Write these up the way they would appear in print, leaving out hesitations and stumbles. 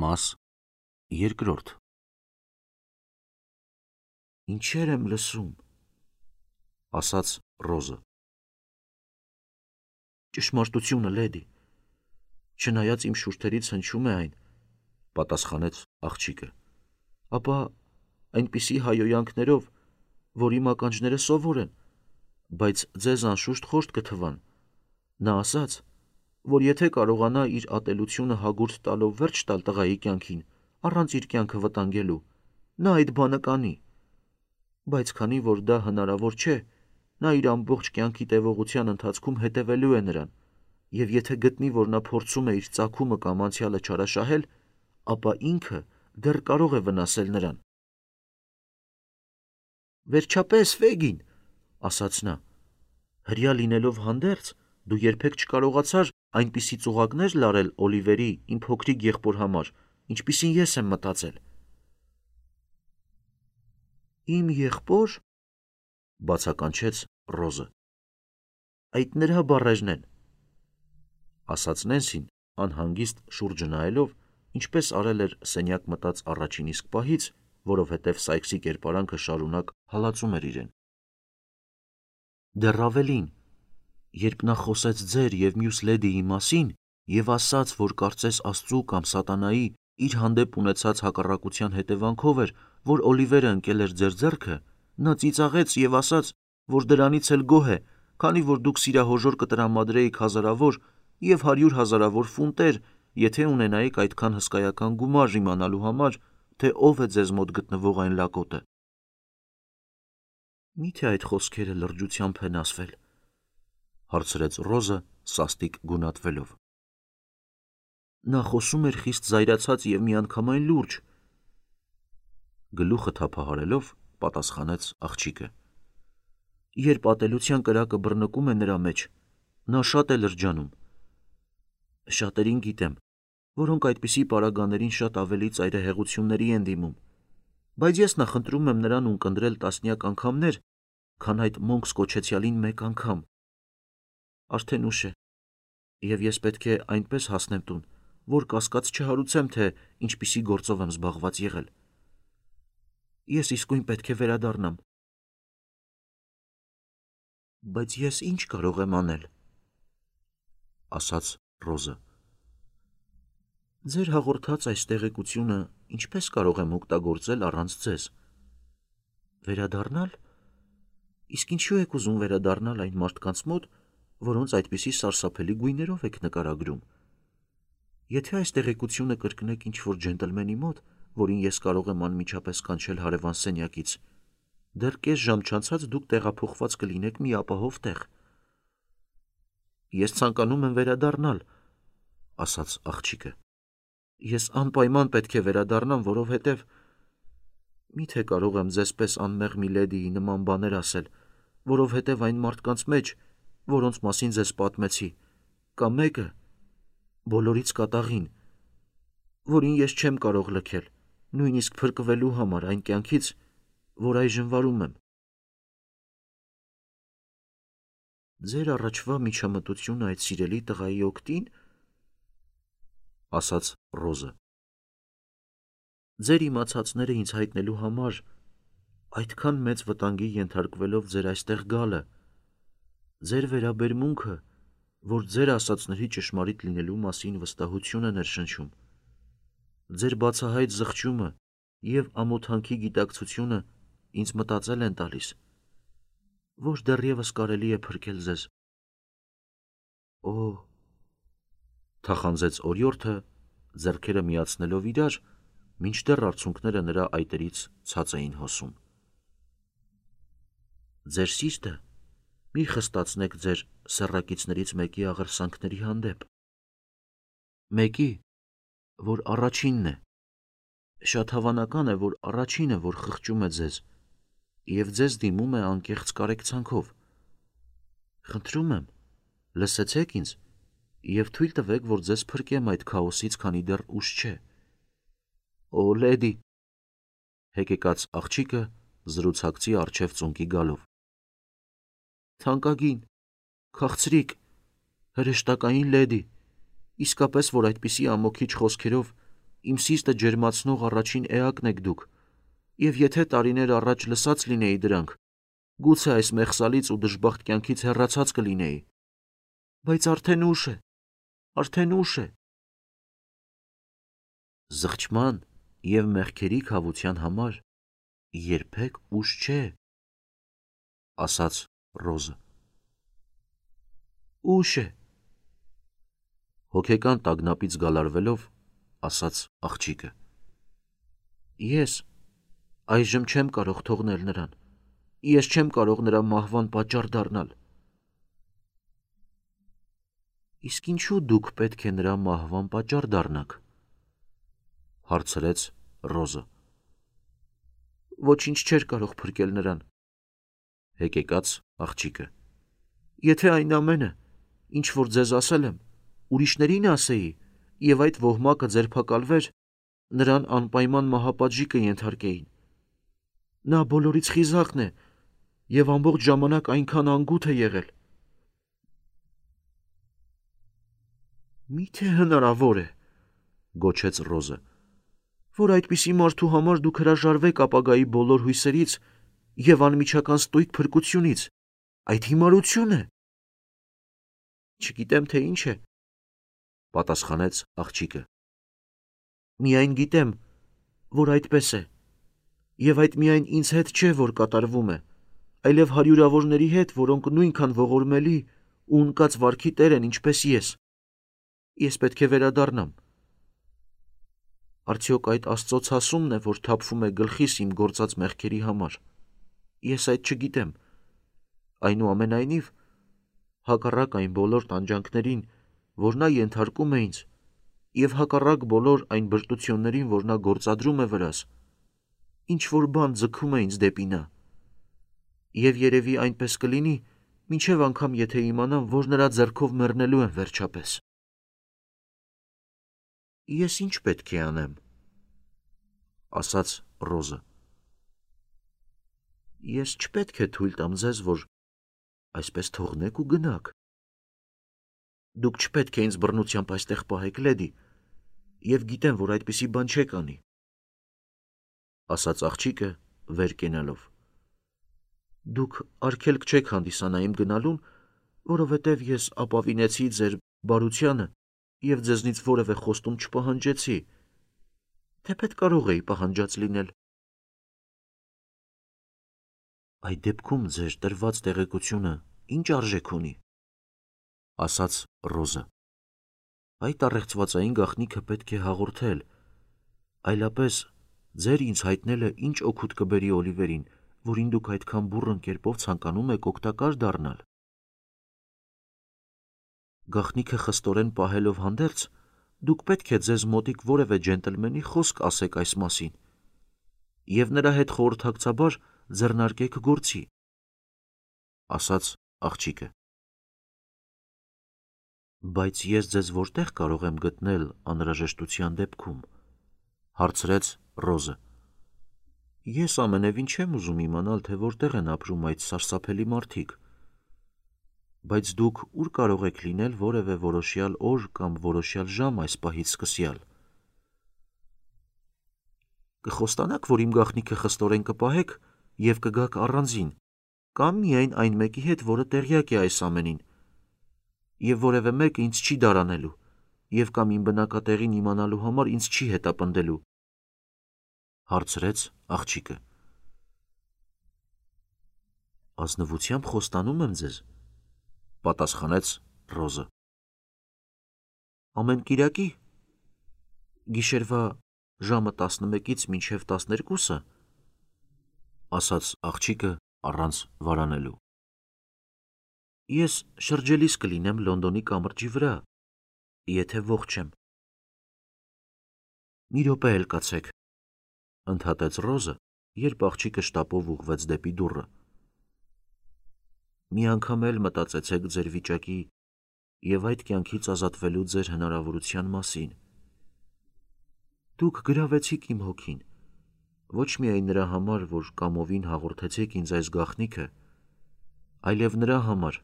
Մաս երկրորդ Ինչեր եմ լսում, ասաց Ռոզը։ ճշմարտությունը, լեդի, չնայած իմ շուրթերից հնչում է այն, պատասխանեց աղջիկը։ ապա այնպիսի հայոյանքներով, որ իմ ականջները սովոր են, բայց ձեզ անշուշտ խորտ կթվան։ Նա ասաց, որ եթե կարողանա իր ատելությունը հագուրդ տալով վերջ տալ տղայի կյանքին, առանց իր կյանքը վտանգելու, նա այդ բանը կանի։ Բայց քանի որ դա հնարավոր չէ, նա իր ամբողջ կյանքի տևողության ընթացքում հետևելու է նրան, եւ եթե գտնի, որ նա փորձում է իր ծագումը կամ անցյալը չարաշահել, ապա ինքը դեռ կարող է վնասել նրան։ Վերջապես, Ֆեգին, ասաց նա, հրյա լինելով հանդերձ, դու երբեք չկարողացար այնպիսի ծուղակներ լարել Օլիվերի, իմ փոքրիկ եղբոր համար, ինչպիսին ես եմ մտածել։ Իմ եղբոր, բացականչեց Ռոզը, այդ նրա բառերն են, ասաց Նենսին, անհանգիստ շուրջը նայելով, ինչպես արել էր սենյակ մտած առաջին իսկ պահից, որովհետև Սայքսի կերպարանքը շարունակ հալածում էր իրեն։ Դեռ ավելին, երբ նա խոսեց ձեր եւ մյուս լեդիի մասին եւ ասաց, որ կարծես Աստծու կամ սատանայի իր հանդեպ ունեցած հակառակության հետևանքով էր, որ Օլիվերը ընկել էր ձեր ձեռքը, նա ծիծաղեց եւ ասաց, որ դրանից էլ գոհ է, քանի որ դուք սիրահոժոր կտրամադրեիք հազարավոր եւ 100 հազարավոր ֆունտեր, եթե ունենայիք այդքան հսկայական գումար իմանալու համար, թե ով է ձեզ մոտ գտնվող այն լակոտը։ Միթե այդ խոսքերը լրջությամբ են ասվել, հարցրեց Ռոզը սաստիկ գունատվելով։ Նա խոսում էր խիստ զայրացած եւ միանգամայն լուրջ, գլուխը թափահարելով պատասխանեց աղջիկը։ Երբ ատելության կրակը բռնկում է նրա մեջ, նա շատ է լրջանում։ Շատերին գիտեմ, որոնք այդպիսի պարագաներին շատ ավելի ծայրահեղությունների են դիմում, բայց ես նախընտրում եմ նրան ունկնդրել տասնյակ անգամներ, քան այդ մոնքս կոչեցյալին մեկ անգամ։ Արդեն ուշ է, եւ ես պետք է այնպես հասնեմ տուն, որ կասկած չհարուցեմ, թե ինչպիսի գործով եմ զբաղված եղել։ Ես իսկույն պետք է վերադառնամ։ Բայց ես ինչ կարող եմ անել, ասաց Ռոզը։ Ձեր հաղորդած այս տեղեկությունը ինչպես կարող եմ օգտագործել առանց ձեզ։ Վերադառնալ։ Իսկ ինչու եք ուզում վերադառնալ այն մարդկանց մոտ, որոնց այդպիսի սարսափելի գույներով եք նկարագրում։ Եթե այս տեղեկությունը կրկնեք ինչ-որ ջենտլմենի մոտ, որին ես կարող եմ անմիջապես կանչել հարևան սենյակից, դեռ կես ժամ չանցած դուք տեղափոխված կլինեք մի ապահով տեղ։ Ես ցանկանում եմ վերադառնալ, ասաց աղջիկը։ Ես անպայման պետք է վերադառնամ, որովհետև միթե կարող եմ ձեզ պես անմեղ մի լեդիի նման բաներ ասել, որովհետև այն մարդկանց մեջ, որոնց մասին ձեզ պատմեցի, կա մեկը, բոլորից կատաղին, որին ես չեմ կարող լքել, նույնիսկ փրկվելու համար այն կյանքից, որ այժմ վարում եմ։ Ձեր առաջվա միջամտությունը այդ սիրելի տղայի օգտին, ասաց Ռոզը։ Ձեր իմացածները ինձ հայտնելու համար, այդքան մեծ վտանգի ենթարկվելով ձեր այստեղ գալը, ձեր վերաբերմունքը, որ ձեր ասածների ճշմարիտ լինելու մասին վստահություն է ներշնչում, ձեր բացահայտ զղջումը եւ ամոթանքի գիտակցությունը ինձ մտածել են տալիս, որ դեռևս կարելի է փրկել ձեզ։ Օ, թախանձեց օրիորդը, ձեռքերը միացնելով իրար, մինչդեռ արցունքները նրա այտերից ցած էին հոսում։ Ձեր սիրտը մի խստացնեք ձեր սեռակիցներից մեկի աղերսանքների հանդեպ։ Մեկի, որ առաջինն է։ Շատ հավանական է, որ առաջինը, որ խղճում է ձեզ, եւ ձեզ դիմում է անկեղծ կարեկցանքով։ Խնդրում եմ, լսեցեք ինձ եւ թույլ տվեք, որ ձեզ փրկեմ այդ քաոսից, քանի դեռ ուշ չէ։ Օ, լեդի, հեկեկաց աղջիկը զրուցակցի առջև ծունկի գալով։ Թանկագին, քաղցրիկ, հրեշտակային լեդի, իսկապես որ այդպիսի ամոքիչ խոսքերով իմ սիրտը ջերմացնող առաջին էակն եք դուք, եւ եթե տարիներ առաջ լսած լինեի դրանք, գուցե այս մեղսալից ու դժբախտ կյանքից հեռացած կլինեի, բայց արդեն ուշ է, արդեն ուշ է։ Զղջման եւ մեղքերի քավության համար երբեք ուշ չէ, ասաց Ռոզը։ Ուշ է, հոգեկան տագնապից գալարվելով, ասաց աղջիկը։ Ես այժմ չեմ կարող թողնել նրան, ես չեմ կարող նրա մահվան պատճառ դառնալ։ Իսկ ինչու դուք պետք է նրա մահվան պատճառ դառնաք, հարցրեց Ռոզը։ Ոչինչ չէր կարող փրկել նրան, հեկեկաց աղջիկը։ Եթե այն ամենը, ինչ որ ձեզ ասել եմ, ուրիշներին ասեի, եւ այդ ոհմակը ձերբակալվեր, նրան անպայման մահապատժի կենթարկեին։ Նա բոլորից խիզախն է եւ ամբողջ ժամանակ այնքան անգութ է եղել։ Միթե հնարավոր է, գոչեց Ռոզը, որ այդպիսի մարդու համար դուք հրաժարվեք ապագայի բոլոր հույսերից եւ անմիջական ստույգ փրկությունից։ Այդ հիմարություն է։ Չգիտեմ, թե ինչ է, պատասխանեց աղջիկը։ Միայն գիտեմ, որ այդպես է, եւ այդ միայն ինձ հետ չէ, որ կատարվում է, այլև հարյուրավորների հետ, որոնք նույնքան ողորմելի ու ունկած վարքի տեր են, ինչպես ես։ Ես պետք է վերադառնամ։ Արդյոք այդ Աստծո ցասումն է, որ թափվում է գլխիս իմ գործած մեղքերի համար։ Ես այդ չգիտեմ։ Այնուամենայնիվ, հակառակ այն բոլոր տանջանքներին, որ նա ենթարկում է ինձ, եւ հակառակ բոլոր այն բրտություններին, որ նա գործադրում է վրաս, ինչ որ բան ձգում է ինձ դեպի նա։ Եվ երևի այնպես կլինի, մինչև անգամ եթե իմանամ, որ նրա ձեռքով մեռնելու եմ վերջապես։ Ես ինչ պետք է անեմ, ասաց Ռոզը։ Ես չպետք է թույլ տամ ձեզ, որ այսպես թողնեք ու գնաք։ Դուք չպետք է ինձ բռնությամբ այստեղ պահեք, լեդի, եւ գիտեմ, որ այդպիսի բան չեք անի, ասաց աղջիկը վեր կենալով։ Դուք արգելք չեք հանդիսանա իմ գնալուն, որովհետև ես ապավինեցի ձեր բարությանը եւ ձեզնից որևէ խոստում չպահանջեցի, թեպետ կարող էի պահանջած լինել։ Այդ դեպքում ձեր տրված տեղեկությունը ինչ արժեք ունի, ասաց Ռոզը։ Այդ առեղծվածային գաղտնիքը պետք է հաղորդել, այլապես ձեր ինձ հայտնելը ինչ օգուտ կբերի Օլիվերին, որին դուք այդքան բուռն կերպով ցանկանում եք օգտակար դառնալ։ Գաղտնիքը խստորեն պահելով հանդերձ, դուք պետք է ձեզ մոտիկ որևէ ջենտլմենի խոսք ասեք այս մասին, եւ նրա հետ խորհրդակցաբար ձեռնարկեք գործի, ասաց աղջիկը։ Բայց ես ձեզ որտեղ կարող եմ գտնել անհրաժեշտության դեպքում, հարցրեց Ռոզը։ Ես ամենևին չեմ ուզում իմանալ, թե որտեղ են ապրում այդ սարսափելի մարդիկ, բայց դուք ուր կարող եք լինել որևէ որոշյալ օր կամ որոշյալ ժամ այս պահից սկսյալ։ Կխոստանաք, որ իմ գաղտնիքը խստորեն կպահեք եւ կգաք առանձին, կամ միայն այն մեկի հետ, որը տեղյակ է այս ամենին, եւ որևէ մեկը ինձ չի դարանելու, եւ կամ իմ բնակատեղին իմանալու համար ինձ չի հետապնդելու, հարցրեց աղջիկը։ Ազնվությամբ խոստանում եմ ձեզ, պատասխանեց Ռոզը։ Ամեն կիրակի գիշերվա ժամը 11-ից մինչև 12-ը, ասաց աղջիկը առանց վարանելու։ Ես շրջելիս կլինեմ Լոնդոնի կամրջի վրա, եթե ողջ եմ։ Մի րոպե էլ կացեք, ընդհատեց Ռոզը, երբ աղջիկը շտապով ուղղվեց դեպի դուռը։ Մի անգամ էլ մտածեցեք ձեր վիճակի եւ այդ կյանքից ազատվելու ձեր հնարավորության մասին։ Դուք գրավեցիք իմ հոգին, ոչ միայն նրա համար, որ կամովին հաղորդեցիք ինձ այս գաղտնիքը, այլև նրա համար,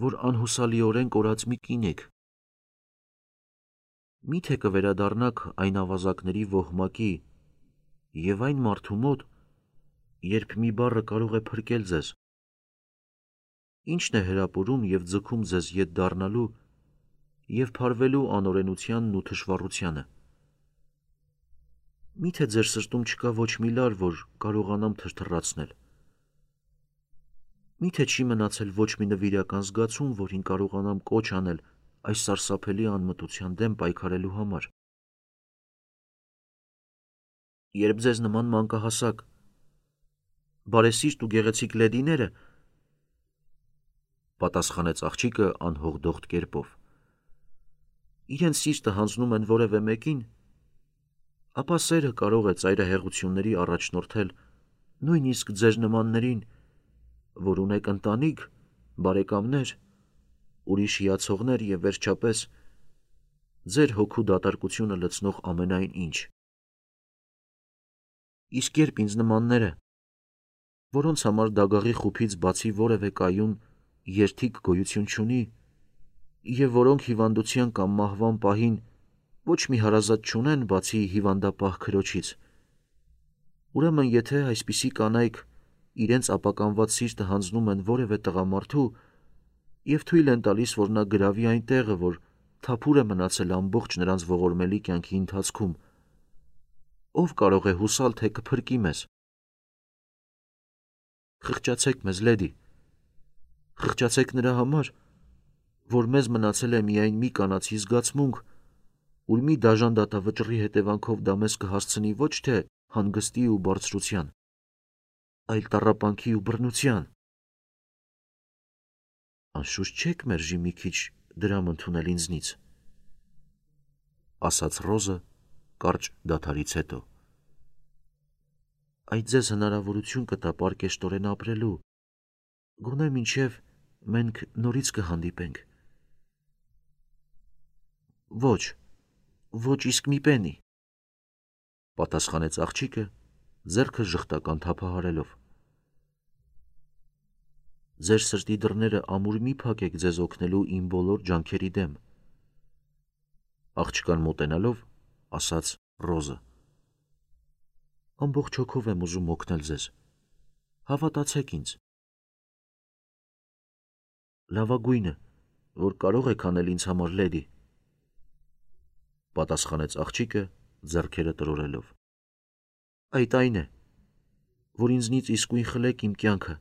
որ անհուսալիորեն կորած մի կին եք։ Միթե կվերադառնաք այն ավազակների ոհմակի և այն մարդու մոտ, երբ մի բառը կարող է փրկել ձեզ։ Ի՞նչն է հրապուրում և ձգում ձեզ ետ դառնալու և փարվելու անօրենությանն ու թշվառությանը։ Միթե ձեր սրտում չկա ոչ մի լար, որ կարողանամ թրթռացնել։ Միթե չի մնացել ոչ մի նվիրական զգացում, որին կարողանամ կոչ անել այս սարսափելի անմտության դեմ պայքարելու համար։ Երբ ձեզ նման մանկահասակ, բարեսիրտ ու գեղեցիկ լեդիները, պատասխանեց աղջիկը անհողդողդ կերպով, իրենց սիրտը հանձնում են որևէ մեկին, ապա սերը կարող է ծայրահեղությունների առաջնորդել նույնիսկ ձեր նմաններին, որ ունեք ընտանիք, բարեկամներ, ուրիշ հիացողներ և վերջապես ձեր հոգու դատարկությունը լցնող ամենայն ինչ։ Իսկ երբ ինձ նմանները, որոնց համար դագաղի խուփից բացի որևէ կայուն երդիկ գոյություն չունի, և որոնք հիվանդության կամ մահվան պահին ոչ մի հարազատ չունեն բացի հիվանդապահ քրոջից, ուրեմն եթե այսպիսի կանայք իրենց ապականված սիրտը հանձնում են որևէ տղամարդու և թույլ են տալիս, որ նա գրավի այն տեղը, որ թափուր է մնացել ամբողջ նրանց ողորմելի կյանքի ընթացքում, ով կարող է հուսալ, թե կփրկի մեզ։ Խղճացեք մեզ, լեդի, խղճացեք նրա համար, որ մեզ մնացել է միայն մի կանացի զգացմունք, ուր մի դաժան դատավճռի հետևանքով դա մեզ կհասցնի ոչ թե հանգստի ու բարձրության, այլ տառապանքի ու բռնության։ Անշուշտ չեք մերժի մի քիչ դրամ ընդունել ինձնից, ասաց Ռոզը կարճ դադարից հետո։ Այդ ձեզ հնարավորություն կտա պարկեշտորեն ապրելու, գոնե մինչև մենք նորից կհանդիպենք։ Ոչ իսկ մի պենի, պատասխանեց աղջիկը, ձեռքը ժխտական թափահարելով։ Ձեր սրտի դռները ամուր մի փակեք ձեզ օգնելու իմ բոլոր ջանքերի դեմ, աղջկան մոտենալով ասաց Ռոզը։ Ամբողջ հոգով եմ ուզում օգնել ձեզ, հավատացեք ինձ։ Լավագույնը, որ կարող եք անել ինձ համար, լեդի, պատասխանեց աղջիկը ձեռքերը տրորելով։ Այդ այն է, որ ինձնից իսկույն խլեք իմ կյանքը,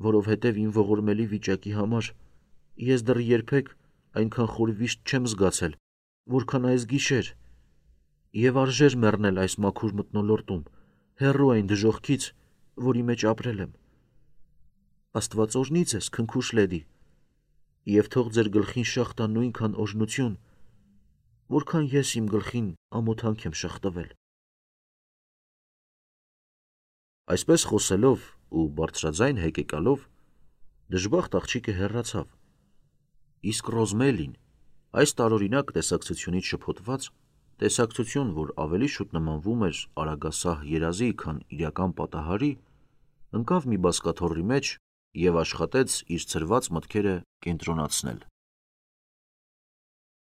որովհետև իմ ողորմելի վիճակի համար ես դեռ երբեք այնքան խոր վիշտ չեմ զգացել, որքան այս գիշեր, և արժեր մեռնել այս մաքուր մթնոլորտում, հեռու այն դժոխքից, որի մեջ ապրել եմ։ Աստված օրհնի ձեզ, քնքուշ լեդի, և թող ձեր գլխին շաղ տա նույնքան օրհնություն, որքան ես իմ գլխին ամոթանք եմ շաղ տվել։ Այսպես խոսելով ու բարձրաձայն հեկեկալով, դժբախտ աղջիկը հեռացավ, իսկ Ռոզմելին, այս տարօրինակ տեսակցությունից շփոթված, տեսակցություն, որ ավելի շուտ նմանվում էր արագասահ երազի, քան իրական պատահարի, ընկավ մի բազկաթոռի մեջ և աշխատեց իր ցրված մտքերը կենտրոնացնել։